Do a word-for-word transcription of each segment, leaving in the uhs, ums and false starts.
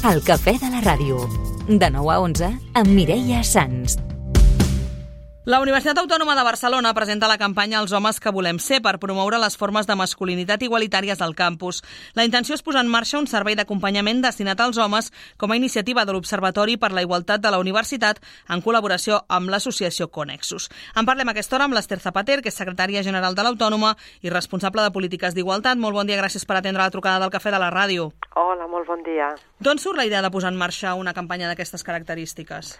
El cafè de la ràdio. De nou a onze, amb Mireia Sans. La Universitat Autònoma de Barcelona presenta la campanya Els homes que volem ser per promoure les formes de masculinitat igualitàries al campus. La intenció és posar en marxa un servei d'acompanyament destinat als homes com a iniciativa de l'Observatori per la Igualtat de la Universitat en col·laboració amb l'associació Connexus. En parlem a aquesta hora amb l'Ester Zapater, que és secretària general de l'Autònoma i responsable de polítiques d'igualtat. Molt bon dia, gràcies per atendre la trucada del cafè de la ràdio. Hola, molt bon dia. D'on surt la idea de posar en marxa una campanya d'aquestes característiques?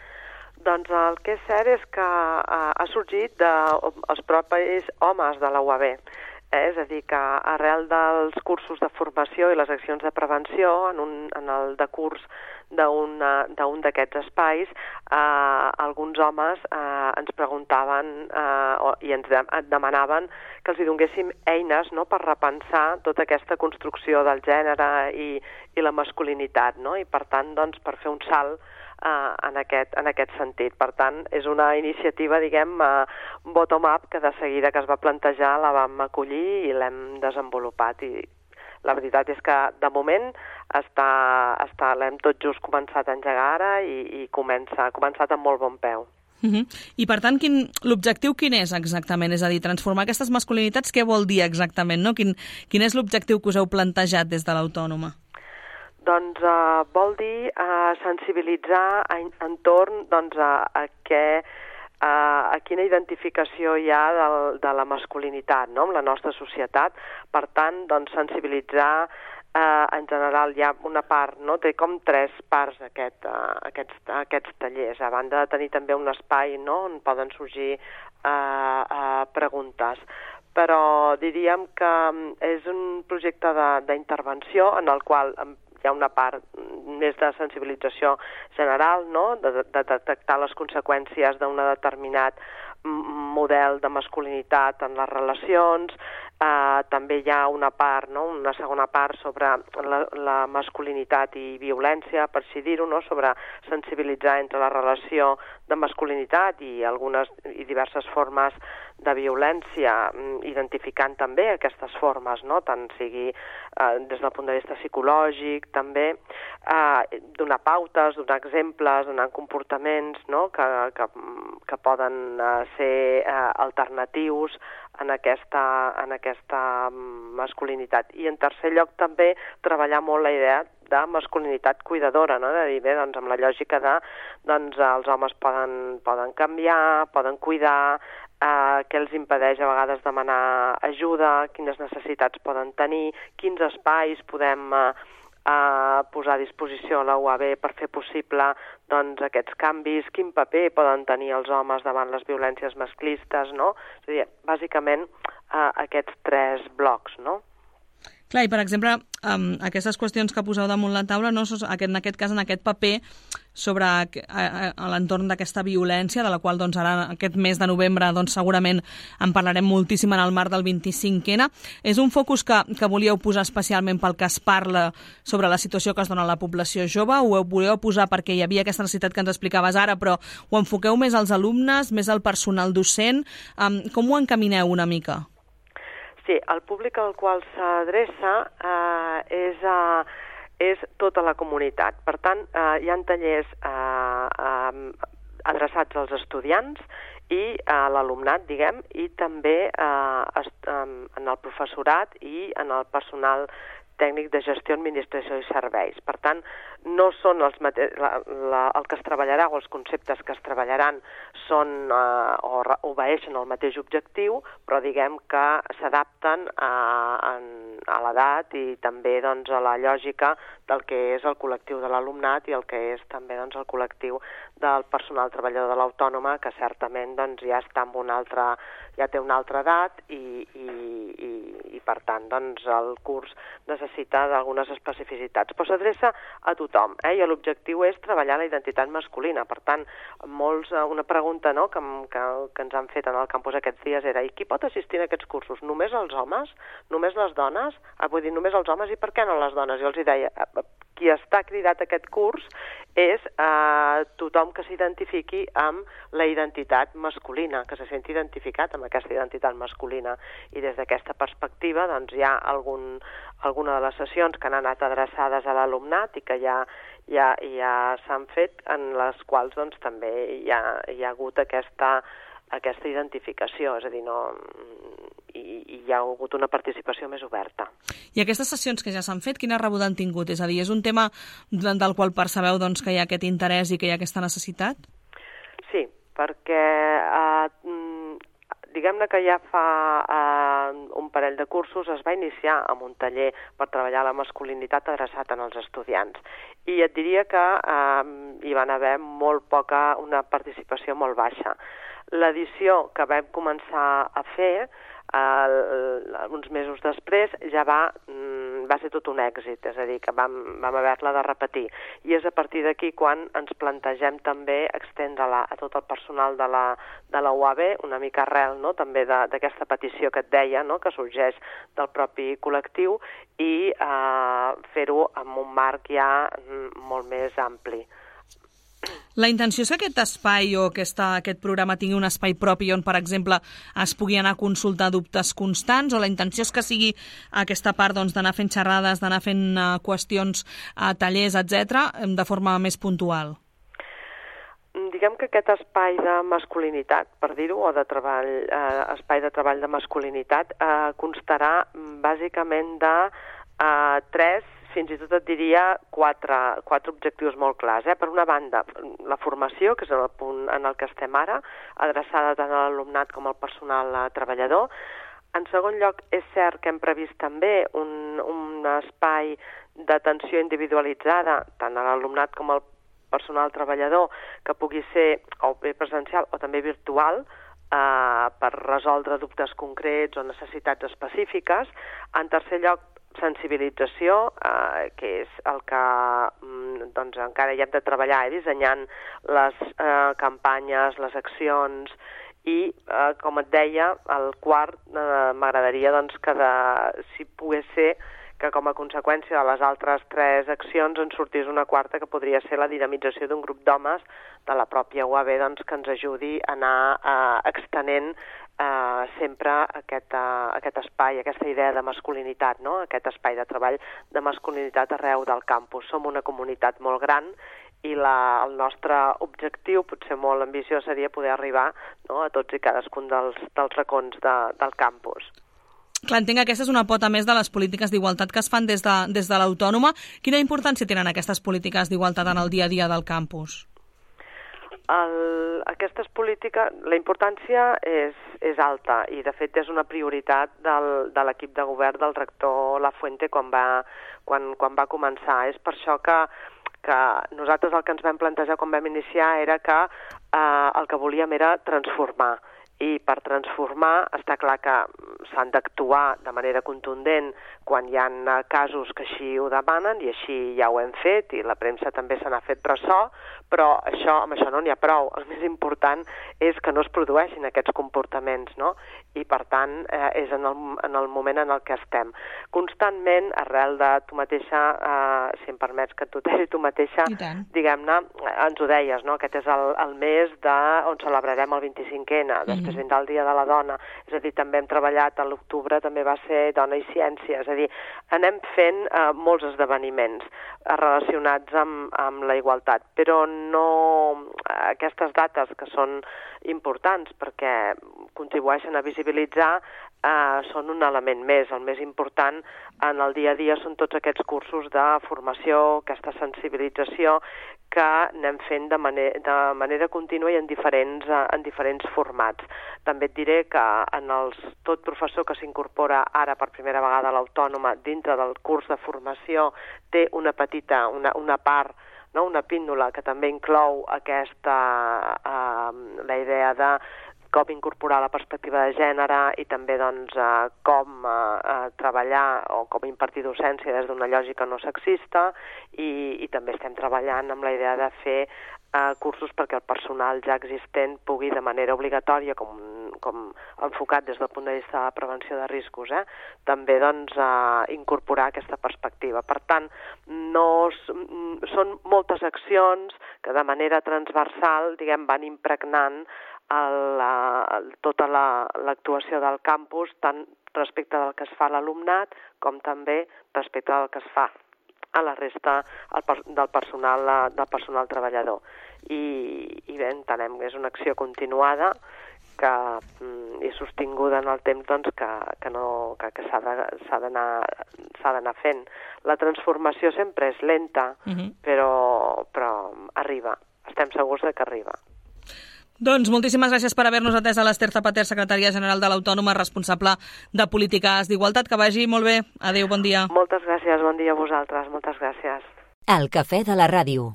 Doncs el que és cert és que uh, ha sorgit dels propis homes de la U A B. Eh? És a dir, que arrel dels cursos de formació i les accions de prevenció en, un, en el decurs d'un d'aquests espais, eh, alguns homes eh, ens preguntaven eh, i ens de, demanaven que els hi donéssim eines, no?, per repensar tota aquesta construcció del gènere i, i la masculinitat, no? I per tant, doncs, per fer un salt Uh, en, aquest, en aquest sentit. Per tant, és una iniciativa, diguem, uh, bottom-up, que de seguida que es va plantejar la vam acollir i l'hem desenvolupat. I la veritat és que, de moment, està, està, l'hem tot just començat a engegar ara i, i comença, ha començat amb molt bon peu. Uh-huh. I, per tant, quin, l'objectiu quin és exactament? És a dir, transformar aquestes masculinitats, què vol dir exactament, no? Quin, quin és l'objectiu que us heu plantejat des de l'Autònoma? Doncs uh, vol dir uh, sensibilitzar en, entorn doncs, a, a, què, uh, a quina identificació hi ha del, de la masculinitat, no?, amb la nostra societat. Per tant, doncs, sensibilitzar, uh, en general hi ha una part, no?, té com tres parts aquest, uh, aquests, aquests tallers, a banda de tenir també un espai, no?, on poden sorgir uh, uh, preguntes. Però diríem que és un projecte d'intervenció en el qual hi ha una part més de sensibilització general, no?, de, de detectar les conseqüències d'un determinat model de masculinitat en les relacions. Uh, també hi ha una part, no?, una segona part sobre la, la masculinitat i violència, per així dir-ho, no?, sobre sensibilitzar entre la relació de masculinitat i algunes i diverses formes de violència, identificant també aquestes formes, no?, tant sigui eh, des del punt de vista psicològic, també eh, donar pautes, donar exemples, donar comportaments, no?, que, que, que poden eh, ser eh, alternatius en aquesta, en aquesta masculinitat. I en tercer lloc també treballar molt la idea de masculinitat cuidadora, no?, de dir, bé, doncs amb la lògica de, doncs els homes poden, poden canviar, poden cuidar, eh, què els impedeix a vegades demanar ajuda, quines necessitats poden tenir, quins espais podem eh, eh, posar a disposició a la U A B per fer possible doncs, aquests canvis, quin paper poden tenir els homes davant les violències masclistes, no? És a dir, bàsicament eh, aquests tres blocs, no? Clar, i per exemple, um, aquestes qüestions que poseu damunt la taula, no, en aquest cas, en aquest paper sobre a, a, a l'entorn d'aquesta violència, de la qual doncs, ara aquest mes de novembre doncs, segurament en parlarem moltíssim en el marc del vint-i-cinc ena. És un focus que, que volíeu posar especialment pel que es parla sobre la situació que es dona a la població jove, o ho volíeu posar perquè hi havia aquesta necessitat que ens explicaves ara, però ho enfoqueu més als alumnes, més al personal docent? Um, com ho encamineu una mica? Sí, el públic al qual s'adreça eh, és, eh, és tota la comunitat. Per tant, eh, hi ha tallers eh, eh, adreçats als estudiants i a l'alumnat, diguem, i també eh, est, eh, en el professorat i en el personal tècnic de gestió, administració i serveis. Per tant, no són els mate... la, la, el que es treballarà o els conceptes que es treballaran són eh, o obeeixen al mateix objectiu, però diguem que s'adapten a, a, a l'edat i també doncs, a la lògica del que és el col·lectiu de l'alumnat i el que és també doncs, el col·lectiu del personal treballador de l'Autònoma, que certament doncs, ja està en una altra, ja té una altra edat i, i, i, i per tant doncs, el curs necessita d'algunes especificitats. Però s'adreça a tothom, eh? I l'objectiu és treballar la identitat masculina. Per tant, molts, una pregunta no, que, que, que ens han fet en el campus aquests dies era: i qui pot assistir a aquests cursos? Només els homes? Només les dones? Ah, vull dir, només els homes, i per què no les dones? Jo els hi deia, qui està cridat a aquest curs és eh, tothom que s'identifiqui amb la identitat masculina, que se senti identificat amb aquesta identitat masculina. I des d'aquesta perspectiva doncs, hi ha algun, alguna de les sessions que han anat adreçades a l'alumnat i que ja, ja, ja s'han fet, en les quals doncs, també hi ha, hi ha hagut aquesta, aquesta identificació, és a dir, no, i, i hi ha hagut una participació més oberta. I aquestes sessions que ja s'han fet, quina rebuda han tingut? És a dir, és un tema del qual percebeu doncs, que hi ha aquest interès i que hi ha aquesta necessitat? Sí, perquè eh, diguem-ne que ja fa eh, un parell de cursos es va iniciar amb un taller per treballar la masculinitat adreçat als estudiants. I et diria que eh, hi van haver molt poca, una participació molt baixa. L'edició que vam començar a fer eh, uns mesos després ja va, va ser tot un èxit, és a dir, que vam, vam haver-la de repetir. I és a partir d'aquí quan ens plantegem també extendre-la a tot el personal de la, de la U A B, una mica arrel, no?, també d'aquesta petició que et deia, no?, que sorgeix del propi col·lectiu, i eh, fer-ho amb un marc ja molt més ampli. La intenció és que aquest espai o aquesta, aquest programa tingui un espai propi on, per exemple, es pugui anar a consultar dubtes constants, o la intenció és que sigui aquesta part doncs, d'anar fent xerrades, d'anar fent uh, qüestions, uh, tallers, etcètera, de forma més puntual? Diguem que aquest espai de masculinitat, per dir-ho, o de treball, eh, espai de treball de masculinitat, eh, constarà bàsicament de eh, tres, fins i tot et diria quatre, quatre objectius molt clars. Eh? Per una banda, la formació, que és el punt en el que estem ara, adreçada tant a l'alumnat com al personal treballador. En segon lloc, és cert que hem previst també un, un espai d'atenció individualitzada, tant a l'alumnat com al personal treballador, que pugui ser o bé presencial o també virtual, eh, per resoldre dubtes concrets o necessitats específiques. En tercer lloc, sensibilització, eh, que és el que doncs, encara hi hem de treballar, eh, dissenyant les eh, campanyes, les accions, i, eh, com et deia, el quart, eh, m'agradaria doncs, que de, si pogués ser que com a conseqüència de les altres tres accions en sortís una quarta, que podria ser la dinamització d'un grup d'homes de la pròpia U A B, doncs, que ens ajudi a anar eh, extenent Uh, sempre aquest, uh, aquest espai, aquesta idea de masculinitat, no? Aquest espai de treball de masculinitat arreu del campus. Som una comunitat molt gran i la, el nostre objectiu, potser molt ambiciós, seria poder arribar, no?, a tots i cadascun dels, dels racons de, del campus. Clar, entenc que aquesta és una pota més de les polítiques d'igualtat que es fan des de, des de l'Autònoma. Quina importància tenen aquestes polítiques d'igualtat en el dia a dia del campus? El, aquestes polítiques, la importància és, és alta i de fet és una prioritat del, de l'equip de govern del rector Lafuente quan va, quan, quan va començar. És per això que, que nosaltres el que ens vam plantejar quan vam iniciar era que eh, el que volíem era transformar. I per transformar està clar que s'han d'actuar de manera contundent quan hi ha casos que així ho demanen, i així ja ho hem fet, i la premsa també se n'ha fet ressò, però això, amb això no n'hi ha prou. El més important és que no es produeixin aquests comportaments, no? I, per tant, eh, és en el, en el moment en el que estem. Constantment, arrel de tu mateixa, eh, si em permets que et tuteli tu mateixa, diguem-ne, ens ho deies, no? Aquest és el, el mes de, on celebrarem el vint-i-cinquè ene, després mm-hmm. vindrà el Dia de la Dona, és a dir, també hem treballat, a l'octubre també va ser Dona i Ciència, és a dir, anem fent eh, molts esdeveniments eh, relacionats amb, amb la igualtat, però no aquestes dates que són importants perquè contribueixen a visibilitzar eh, són un element més. El més important en el dia a dia són tots aquests cursos de formació, aquesta sensibilització que anem fent de, maner de manera contínua i en diferents, eh, en diferents formats. També et diré que en els, tot professor que s'incorpora ara per primera vegada a l'Autònoma dintre del curs de formació té una petita, una, una part, no? Una píndola que també inclou aquesta, eh, la idea de com incorporar la perspectiva de gènere i també doncs, eh, com eh, treballar o com impartir docència des d'una lògica no sexista, i, i també estem treballant amb la idea de fer eh, cursos perquè el personal ja existent pugui de manera obligatòria, com, com enfocat des del punt de vista de la prevenció de riscos, eh, també doncs, eh, incorporar aquesta perspectiva. Per tant, no, són moltes accions que de manera transversal, diguem, van impregnant El, el, tota l'actuació la, del campus, tant respecte del que es fa a l'alumnat com també respecte del que es fa a la resta del personal, del personal treballador. I, i bé, entenem que és una acció continuada que mm, és sostinguda en el temps, doncs, que, que, no, que, que s'ha d'anar fent. La transformació sempre és lenta, uh-huh. però, però arriba. Estem segurs de que arriba. Doncs moltíssimes gràcies per haver-nos atès a l'Ester Zapater, secretària general de l'Autònoma, responsable de polítiques d'igualtat. Que vagi molt bé. Adéu, bon dia. Moltes gràcies, bon dia a vosaltres. Moltes gràcies. El cafè de la ràdio.